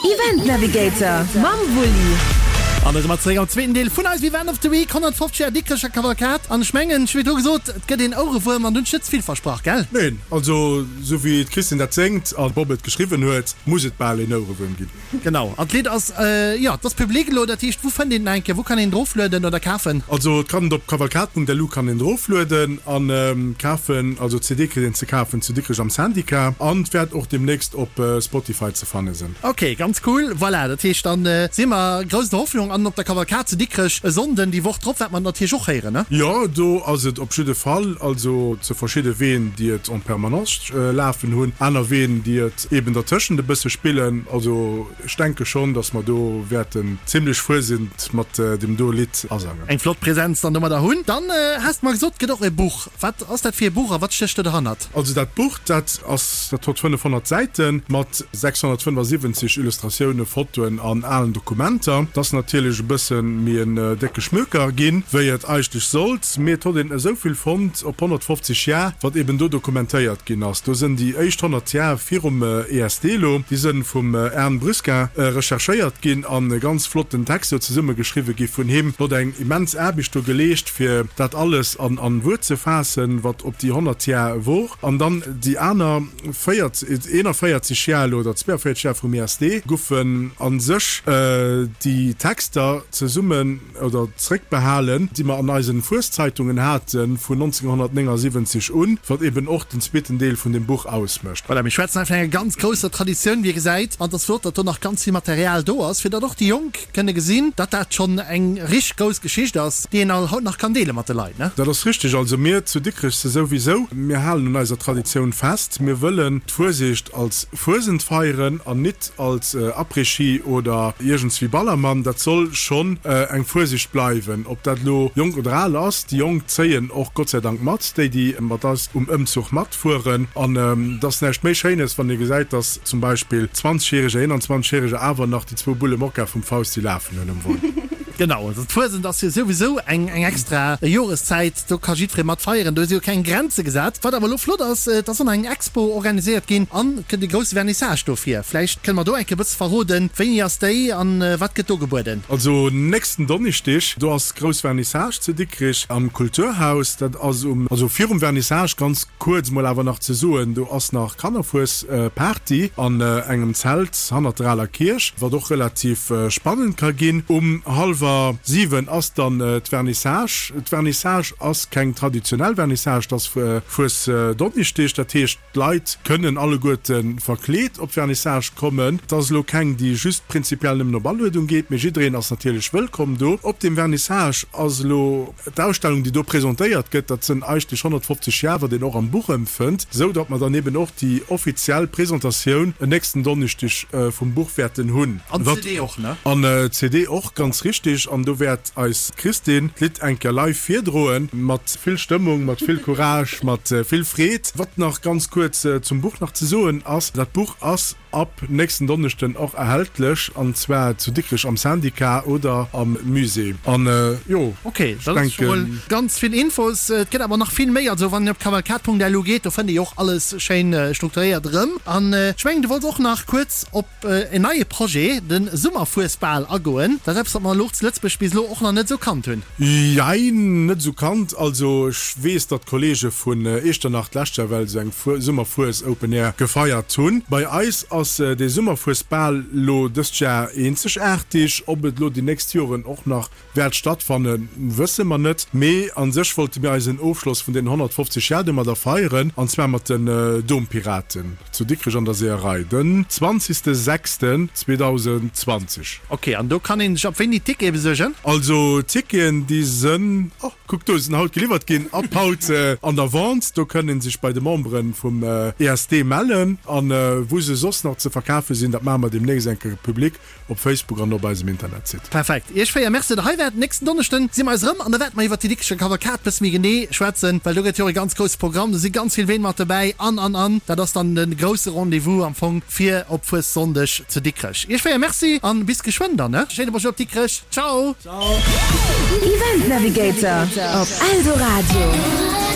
Event Navigator mam Wulli. An da si mer zeréck am zweeten Deel vun eisem Event of the Week, 150 Joer Dikrecher Kavalkad. An ech mengen, ech hu virdru gesot, et gëtt een Ouerewuerm an du hunn ech net ze vill versprach, gell? Neen, also sou wéi d'Christine dat séngt a Bob et geschriwwen huet, muss et bal een Ouerewuerm ginn. Genau, an d'Lidd ass, jo, et ass public elo, dat heescht, wou fënnt een et nach eng Kéier, wou kann een et eroflueden oder kafen? Also et kann et op kavalkad.lu kann een et eroflueden an kafen, also d'CD kritt een ze kafen zu Dikrech am Syndicat an et wäert och demnächst op Spotify ze fanne sinn. Ok, ganz cool, voilà, dat heescht dann si mer grouss der Hoffnung an op der Kavalkad zu Dikrech e Sonnden déi Woch drop wäert mer et natierlech och héieren, ne? Jo, do ass et op jidde Fall, also zu verschidde Ween déi et en permanence lafen hunn, aner Ween déi et Eben dertëschent e bësse spillen. Also ech denke schonn, dass mer do wäerten zimlech Fuesent mat deem do Lidd asangen. Eng flott Präsenz dann domadder hunn. Dann has de mer gesot, et gëtt och e Buch. Wat ass dat fir e Buch a wat stécht do derhannert? Also dat Buch, dat ass, dat hott 500 Säite mat 675 Illustratioune, Fotoen an alen Dokumenter. Et ass natierlech e bësse méi en décke Schmöker ginn, wéi et eigentlech sollt, mee et hott een esou vill fonnt op 150 Jar, wat eben do dokumentéiert ginn ass. Do sënn déi éischt 100 Jar virum ESD elo, déi sënn vum Ern Brusquin recherchéiert ginn an e ganz flotten Text do zesumme geschriwwe gi vun him. Hien huet eng immens Aarbecht do geleescht, fir dat alles an Wuert ze faassen, wat op déi 100 Jar wor. An dann déi aner 41 Jar elo, oder 42 Jar vum ESD, goufen a sech déi Texter zesummen, oder zréckbehalen, déi mer an eisen Fueszeitungen haten vun 1979 un, wat eben och den zweeten Deel vun dem Buch ausmécht. Voilà, mir schwätzen hei vun enger ganz grousser Traditioun, wéi ee gesäit, an et ass flott, datt do nach ganz vill Material do ass, fir datt och déi Jonk kënne gesinn, datt dat schonn eng richteg grouss Geschicht ass, déi een all haut nach kann deele mat de Leit, ne? Dat ass richtig. Also mir zu Dikrech souwisou, mir halen un eiser Traditioun fest. Mir wëllen d'Fuesicht als Fuesent feieren an nit als Après-Ski oder iergendswéi Ballermann, dat soll schonn eng Fuesicht bleiwen. Ob dat elo jonk oder al ass, déi Jonk zéien och Gott sei Dank mat, déi déi mat eis um Ëmzuch matfueren. An et ass näischt méi Schéines, wann ee gesäit, dass zum Beispill Zwanzegjäreger, Eenanzwanzegjäreger awer nach déi zwou Bulle Mokka vum Fausti lafen hunn um Won. Genau, also d'Fuesent ass jo souwisou eng extra Joreszäit, do ka jiddweree mat feieren, do si jo keng Grenze gesat. Wat awer elo flott ass, et ass och nach eng Expo organiséiert ginn an et gëtt e grousse Vernissage dofir. Vläicht kënne mer do eng Kéier e bësse verroden, wéini ass déi an wat gëtt do gebueden? Also nächsten Donneschdeg, do ass grouss Vernissage zu Dikrich am Kulturhaus. Dat ass um, also virum Vernissage ganz kuerz mol awer nach ze soen, do ass nach Kannerfuesparty an engem Zelt hannert der aler Kierch, wat och relativ spannend ka ginn. Um hallwer 7 ass dann d'Vernissage. D'Vernissage ass keng traditionell Vernissage, et ass Fuesdonneschdeg, dat heescht d'Leit kënnen alleguerte verkleet op d'Vernissage kommen. Et ass elo keng, déi just prinzipiell nëmmen op Aluedung geet, mee jiddereen ass natierlech wëllkomm do. Op dem Vernissage ass elo d'Ausstellung, déi do presentéiert gëtt, dat sënn eigentlech 150 Jar, wat een och am Buch ëmfënnt, esou datt mer dann eben och déi offiziell Presentatioun en nächsten Donneschdeg vum Buch wäerten hunn. An d'CD och, ne? An d'CD och, ganz richtig. An do wäert eis d'Christine d'Lidd eng Kéier live virdroen, mat vill Stëmmung, mat vill Courage, mat vill Freed. Wat nach ganz kuerz zum Buch nach ze soen ass, Dat Buch ass ab nächsten Donneschden och erhältlech, an zwar zu Dikrech am Syndicat oder am Musée. An jo, Ok, dat ass scho mol ganz vill Infos. Et gëtt awer nach vill méi. Also wann een op kavalkad.lu geet, do fënnt ee jo och alles schéin strukturéiert erëm. An ech mengen, du wollts och nach kuerz op en neie Projet, de Summerfuesbal, agoen. Dat ass eppes, wat mer elo zu Lëtzebuerg bis elo och nach net esou kannt hunn. Jein, net esou kannt. Also ech weess, datt d'Kollege vun Eechternach d'lescht Jahr well esou eng Summerfues Open Air gefeiert hunn. Bei eis ass dee Summerfuesbal lo dëst Jahr eenzegaartig. Ob et lo déi nächst Joren och nach wäert stattfannen, wësse mer net. Mee a sech wollte mir eisen Ofschloss vun den 150 Jar domadder feieren, an zwar mat den Dompiraten zu Dikrech an der Seeërei den 20.06.2020. Ok, an do kann een sech ab wéini Tickete besuergen? Also d'Ticketen déi sënn, oh kuck do, sinn haut geliwwert ginn, ab haut an der Vente. Do kënn een sech bei de Membere vum ESD mellen. An wou se soss nach ze verkafe sinn, dat maache mer deemnächst eng Kéier public op Facebook an op eisem Internetsite. Perfekt. Iech 4 Merci, datt der hei waart. Nächsten Donneschden si mer eis erëm an da wäerte mer iwwert déi Dikrecher Kavalkad bësse méi genee schwätzen, well do gëtt jo och e ganz grousse Programm, do si ganz vill Ween mat dobäi an, an, an. Dat ass dann de grousse Rendez-vous am Fong fir op Fuessonndeg zu Dikrech. Iech 4 Merci an bis geschwënn dann, ne? Schéine Bonjour op Dikrech. Ciao! Event Navigator op Eldoradio.